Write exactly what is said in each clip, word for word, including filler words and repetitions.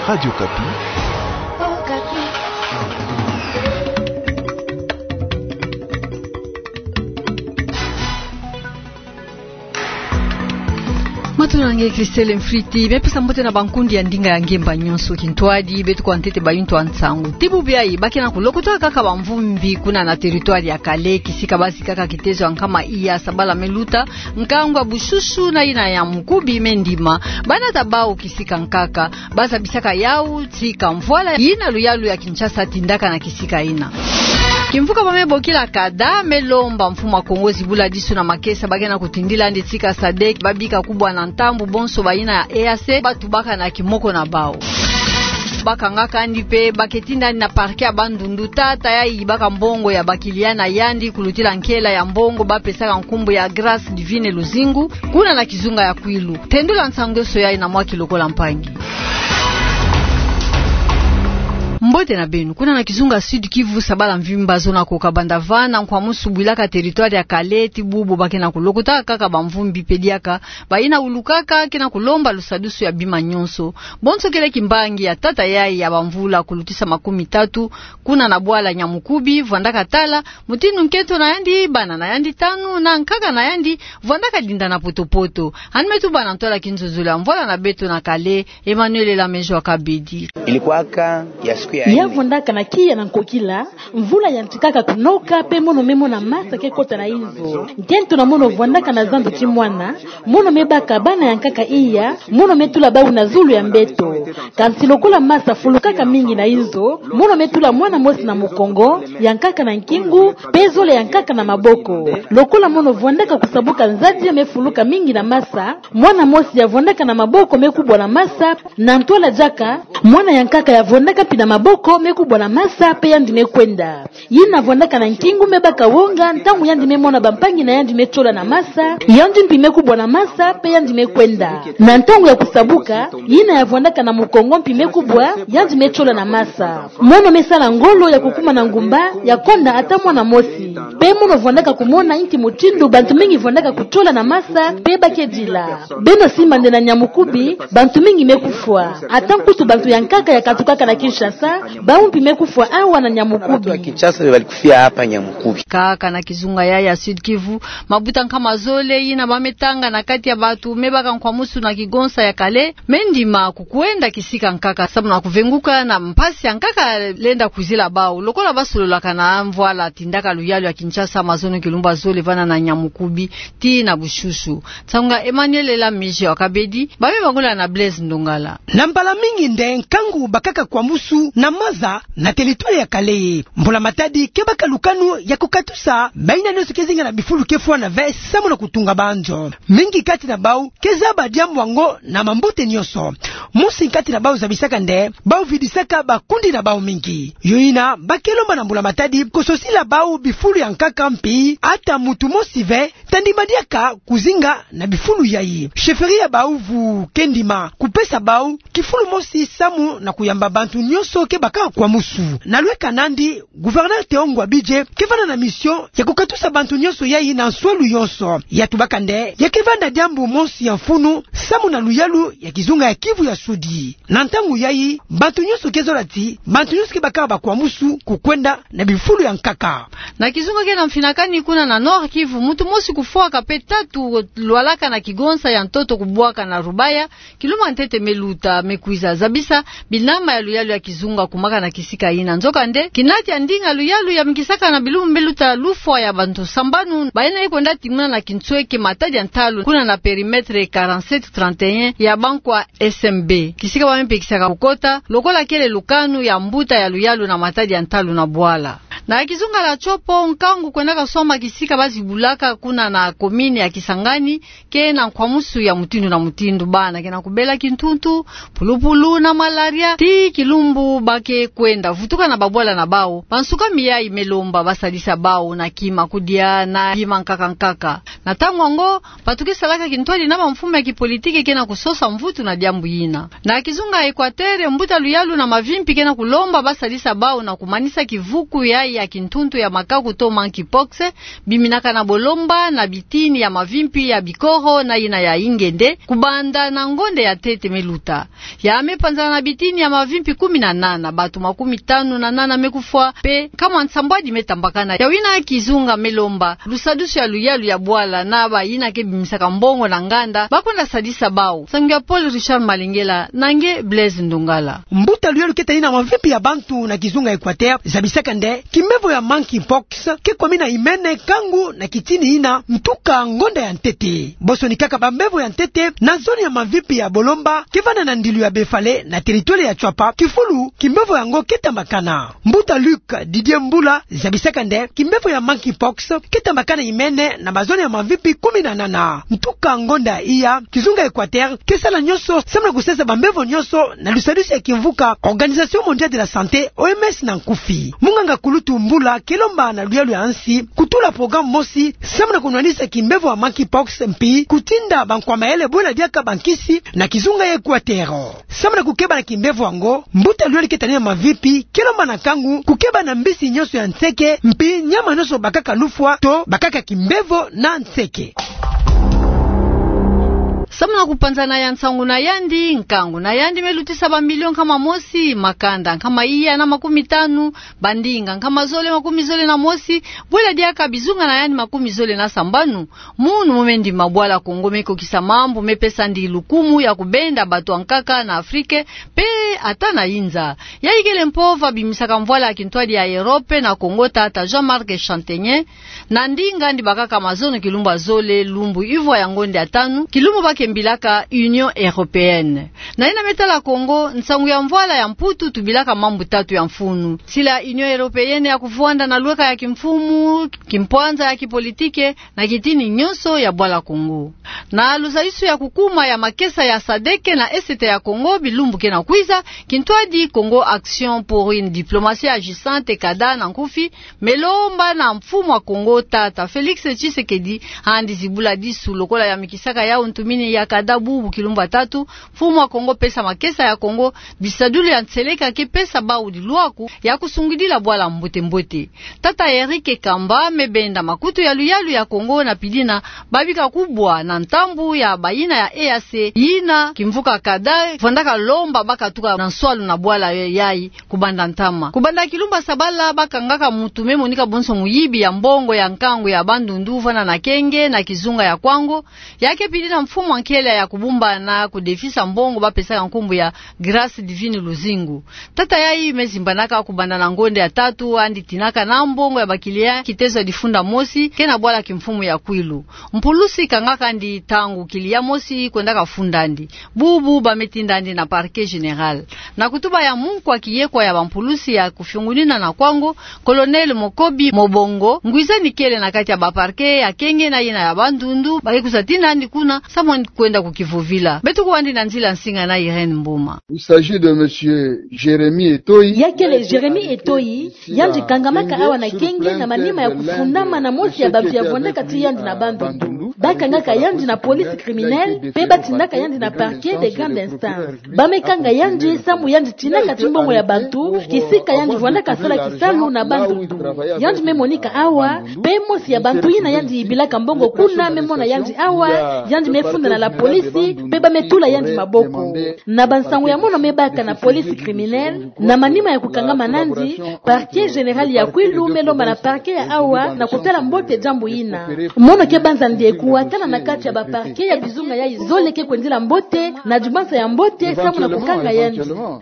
Radio Okapi. Matula na nge Christelle Mfriti, bia pesa mbote na bankundi ya ndinga ya ngemba nyonso. Kintwadi, beto kwa ntete bayintu ya nsangu. Ti bubu yayi, ba ke na kulokota kaka bamvumbi kuna na territoire ya Kale, kisika basi kaka kitezo ya nkama iya sabala me luta, nkangu ya Bushushu na yina ya Nyamukubi me ndima. Banata bau kisika nkaka, ba zabisaka yau tika mvwala yina luyalu ya Kinshasa tindaka na kisika yina. Kimvuka ba me bokila CADA me lomba mfumu ya Kongo zibula disu na makesa ba ke na kutindila yandi tika SADC, ba bika kubwa na ntambu bonso bayina ya E A C ba tubaka na kimoko na bau. Ba kangaka yandi mpe ba ke tinda yandi na parquet ya Bandundu, tata yayi yibaka mbongo ya bakiliya na yandi kulutila nkela ya mbongo ba pesaka nkumbu ya Grâce Divine Luzingu, kuna na kizunga ya Kwilu. Tendula nsangu nyonso yayi na mwa ki lokola mpangi. Mbote na beno. Kuna na kizunga Sud-Kivu, sabala mvimba zo na koka banda va na nkwamusu bwilaka territoire ya Kale, ti bubu ba ke na kulokota kaka bamvumbi mpe diaka bayina ulukaka ke na kulomba lusadusu ya bima nyonso. Bonso kele kimbangi ya tata yayi ya bamvula kulutisa makumi tatu, kuna na bwala Nyamukubi, vwandaka tala mutindu nkento na yandi, bana na yandi tanu na nkaka na yandi vwandaka dinda na poto-poto. Yandi me tuba na ntwala kinzonzolo ya mvwala na beto na Kale, Emmanuel Elamejo Akabedi. Ilikuwaka ya siku ya nne. Ya vwandaka na kiya na nkokila, mvula yantikaka kunoka, mpe mono me mona masa ke kota na inzo. Nkento na mono vwandaka na zandu ti mwana, mono me baka bana ya nkaka iya, mono me tula bau na zulu ya mbeto. Kansi lokola masa fulukaka mingi na inzo, mono me tula mwana mosi na mukongo, ya nkaka na nkingu, mpe zole ya nkaka na maboko. Lokola mono vwandaka kusabuka, nzadi ya me fuluka mingi na masa, mwana mosi ya vwandaka na maboko me kubwa na masa, na ntwala diaka, mwana ya nkaka ya vwandaka mpi na maboko me kubwa na masa, mpe yandi me kwenda. Yina vwandaka na nkingu me baka wonga, ntangu yandi me mona bampangi na yandi me tiola na masa, yandi mpi me kubwa na masa, mpe yandi me kwenda. Na ntangu ya kusabuka, yina ya vwandaka na mukongo mpi me kubwa, yandi me tiola na masa. Mono me sala ngolo ya kukuma na ngumba, ya konda ata mwana mosi. Mpe mono vwandaka kumona inki mutindu bantu mingi vwandaka kutiola na masa, mpe ba ke dila. Beno simba nde na Nyamukubi, bantu mingi me kufwa. Ata nkutu bantu ya nkaka ya katukaka na Kinshasa, bau mpi me kufwa awa na Nyamukubi. Watu wa Kinshasa nde balikufia hapa Nyamukubi. Kaka na kizunga yayi ya Sud-Kivu, mabuta nkama zole yina ba me tanga na kati ya bantu me baka nkwamusu na kigonsa ya Kale, me ndima ku kwenda kisika nkaka, samu na kuvenguka na mpasi ya nkaka lenda kuzila bau. Lokola ba sololaka na mvwala tindaka luyalu ya Kinshasa mazono kilumbu ya zole vanda na Nyamukubi tii na Bushushu. Nsangu ya Emmanuel Elamejo Akabedi, ba me bangula na Blaise Ndongala. Na mbala mingi nde nkangu bakaka kwamusu na maza na territoire ya Kale. Mbula Matadi ke baka lukanu ya kukatusa bayina nyonso ke zinga na bifulu ke fwana ve samu na kutunga banzo. Mingi kati na bau ke zaba diambu yango na mambote nyonso. Mosi kati na bau zabisaka nde bau vidisaka bakundi na bau mingi. Yo yina ba ke lomba na Mbula Matadi kososila bau bifulu ya nkaka mpi ata muntu mosi ve ta ndima diaka kuzinga na bifulu yayi. Chefferie ya bau vuvu ke ndima kupesa bau kifulu mosi samu na kuyamba bantu nyonso ke baka kwamusu. Na lweka nandi, gouverneur Théo Ngwabidje ke vanda na mission ya kukatusa bantu nyonso yayi na nswalu yonso. Ya tubaka nde ya ke vanda diambu mosi ya mfunu samu na luyalu ya kizunga ya Kivu ya Sudi. Na ntangu yayi, bantu nyonso ke zola ti bantu nyonso ke baka bakwamusu kukwenda na bifulu ya nkaka. Na kizunga ke na mfinakani kuna na Nord-Kivu, muntu mosi kufwaka mpe tatu lwalaka na kigonsa ya ntoto kubwaka na Rubaya, kilumbu ya ntete me luta, me kwiza zabisa binama ya luyalu ya kizunga kumaka na kisika yina. Nzokande, kinati ya ndinga luyalu ya mikisaka na bilumbu me luta lufwa ya bantu sambanu bayina ye kwenda timuna na kinsweke Matadi ya ntalu kuna na périmètre quarante-sept trente et un ya bankwa S M B. Kisika ba me pekisaka kukota, lokola kele lukanu ya mbuta ya luyalu na Matadi ya ntalu na bwala. Na kizunga ya Tshopo, nkangu kwendaka swama kisika ba zibulaka kuna na commune ya Kisangani, ke na nkwamusu ya mutindu na mutindu. Bana ke na kubela kintuntu, pulupulu na malaria, tii kilumbu ba ke kwenda vutuka na babwala na bau. Bansukami yayi me lomba ba sadisa bau na kima, kudia na bima nkaka nkaka. Na ntangu yango, bantu ke salaka kintwadi na bamfumu ya kipolitiki ke na kusosa mvutu na diambu yina. Na kizunga ya Equateur, mbuta luyalu na mavimpi ke na kulomba ba sadisa bau na kumanisa kivuku yayi ya kintuntu ya makaku to monkeypox, biminaka na bolomba na bitini ya mavimpi ya bikoro na yina ya ingende, kubanda na ngonde ya ntete me luta. Ya me panzana na bitini ya mavimpi kumi na nana, bato makumi tanu na nana me kufwa, mpe nkama nsambwadi me tambakana. Ya wina kizunga me lomba lusadusu ya luyalu ya bwala na bayina ke bimisaka mbongo na nganda, ba kwenda sadisa bau. Nsangu ya Paul Richard Malengela na nge Blaise Ndongala. Mbuta luyalu ke tani na mavimpi ya bantu na kizunga Equateur zabisaka nde kimbevo ya monkeypox ke kwamina imene nkangu na kitini yina ntuka ngonda ya ntete. Bosonikaka bambevo ya ntete na zoni ya mavimpi ya bolomba ke vanda na ndilu ya Befale na territoire ya Tshuapa, kifulu kimbevo yango ke tambakana. Mbuta Luc Didier Mbula zabisaka nde kimbevo ya monkeypox ke tambakana imene na bazoni ya mavimpi kumi na nana. Ntuka ngonda iya, kizunga Equateur ke sala nyonso samu na kusesa bambevo nyonso na lusadusu ya kimvuka Organisation Mondiale de la Santé, O M S na nkufi. Munganga kulutu Mbula ke lomba na luyalu ya nsi kutula programme mosi samu na kunwanisa kimbevo ya monkeypox mpi kutinda bankwama ele bwela diaka bankisi na kizunga ya Equateur. Samu na kukeba na kimbevo yango, mbuta luyalu ke tani na mavimpi ke lomba na nkangu kukeba na mbisi nyonso ya nseke, mpi nyama nyonso bakaka lufwa to bakaka kimbevo na nseke. Samu na kupanzana ya nsangu na yandi, nkangu na yandi me lutisa bamilio nkama mosi, makanda nkama iya na makumi tanu, bandinga nkama zole makumi zole na mosi, bwela diaka bizunga na yandi makumi zole na sambanu. Munu mu me ndima, Bwala Kongo me kokisa mambu me pesa ndi lukumu ya kubenda bato ya nkaka na Afrique, mpe ata na inza. Yayi kele mpova bimisaka mvwala ya kintwadi ya Europe na Kongo, tata Jean-Marc Chantegner, na ndinga yandi bakaka mazono kilumbu ya zole, lumbu ivwa ya ngonda ya tanu, kilumbu ba ke mbilaka Union Européenne. Na yina me tala Kongo, nsangu ya mvwala ya Mputu tubilaka mambu tatu ya mfunu: sila ya Union Européenne ya kuvwanda na lweka ya kimfumu, kimpwanza ya kipolitike, na kitini nyonso ya Bwala Kongo. Na luzayisu ya kukuma ya makesa ya sadeke na Est ya Kongo bilumbu ke na kwiza, kintwadi Congo Action pour une Diplomatie Agissante, kada na nkufi, me lomba na mfumu ya Kongo, tata Félix Tshisekedi, yandi zibula disu lokola ya mikisaka yau ntumini ya kada bubu kilumbu ya tatu, mfumu ya Kongo pesa makesa ya Kongo bisadulu ya nseleka ke pesa bau dilwaku ya kusungidila bwala mbote-mbote. Tata Eric Kamba me benda makutu ya luyalu ya Kongo na pidina babika kubwa na ntambu ya bayina ya E A C, yina kimvuka kada vwandaka lomba ba katuka na nswalu na bwala yayi kubanda ntama. Kubanda kilumbu ya sabala, ba kangaka muntu me monika bonso muyibi ya mbongo ya nkangu ya Bandundu, vwanda na Kenge, na kizunga ya Kwango, ya ke pidina mfumu ya nkele ya kubumbana kudefisa mbongo ba pesaka nkumbu ya Grâce Divine Luzingu. Tata yayi me zimbanaka kubanda na ngonda ya tatu, yandi tinaka na mbongo ya ba client kitezo ya difunda mosi ke na bwala kimfumu ya Kwilu. Mpulusi kangaka yandi ntangu client mosi kwendaka funda yandi. Bubu ba me tinda yandi na Parquet Général. Na kutuba ya munkwa kiyekwa ya bampulusi ya kufiungunina na Kwango, Colonel Mokobi Mobongo, ngwizani kele na kati ya ba parquet ya Kenge na yina ya Bandundu, ba ke kwiza tina yandi kuna, samu yandi kwenda kukivovila. Beto kwandi na nzila nsinga na Irène Mboma. Il s'agit de monsieur Jérémy Etoyi. Ya kele Jérémy Etoyi, yandi kangamaka awa na Kenge na manima ya kufundama na mosi ya bantu ya vwandaka ti yandi na Bandundu. Ba kangaka yandi na police criminelle, mpe ba tindaka yandi na parquet de grande instance. Ba me kanga yandi samu yandi tinaka timbongo ya bantu kisika yandi vwandaka sala kisalu na Bandundu. Yandi me monika awa, mpe mosi ya bantu yina yandi yibilaka mbongo kuna me mona yandi awa, yandi me funda na la police, mpe ba me tula yandi maboko. Na bansangu ya mono me baka na police criminelle, na manima ya kukangama na yandi, Parquet Général ya Kwilu me lomba na parquet ya awa na kutala mbote diambu yina. Mono ke banza nde kuwatana na kati ya ba parquet ya bizunga yayi zole ke kwendila mbote, na dibanza ya mbote samu na kukanga yandi.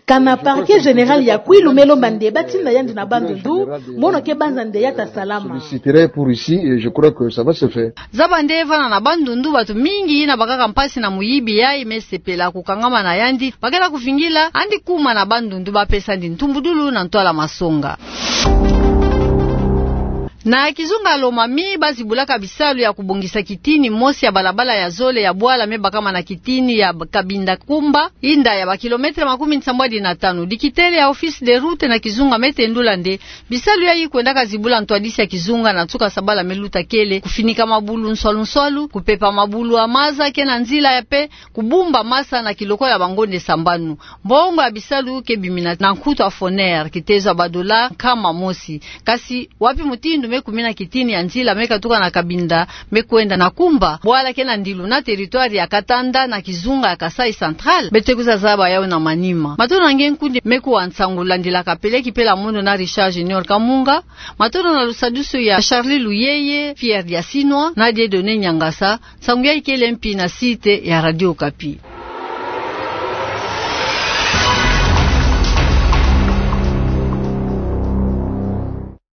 Kana Parquet Général ya Kwilu me lomba nde ba tinda yandi na Bandundu, mono ke banza nde ya ta salama. Solliciterai pour ici et je crois que ça va se faire. Zaba nde vwanda na Bandundu, bato mingi yina bakaka mpasi na muyibi yayi me sepela kukangama na yandi, ba ke na kuvingila yandi kuma na Bandundu, ba pesa yandi ntumbudulu na ntwala masonga. Na kizunga Lomami, bazibulaka bisalu ya kubongisa kitini mosi ya balabala ya zole ya bwala me bakama na kitini ya Kabinda Kumba, inda ya ba kilometre makumi nsambwadi na tanu. Dikitele ya Office des Routes na kizunga me tendula nde bisalu yayi kwendaka zibula ntwadisi ya kizunga na nsuka sabala me luta kele, kufinika mabulu nswalu nswalu, kupepa mabulu ya maza ke na nzila ya pe kubumba masa na kilokolo ya bangonde sambanu. Mbongo ya bisalu ke bimina na nkutu ya FONER, kitezo ya ba dollars nkama mosi. Kasi wapi mutindu me kumina kitini ya nzila me katuka na Kabinda me kwenda na Kumba, bwala ke na ndilu na territoire ya Katanda na kizunga ya Kasaï Central? Beto ke kwiza zaba yawu na manima. Matondo na nge nkundi me kuwa nsangu landilaka peleki pela mono na Richard Junior Kamunga. Matondo na lusadusu ya Charlie Luyeye, Pierre Diasinwa na Dieudonné Niangasa. Nsangu yayi kele mpi na site ya Radio Okapi.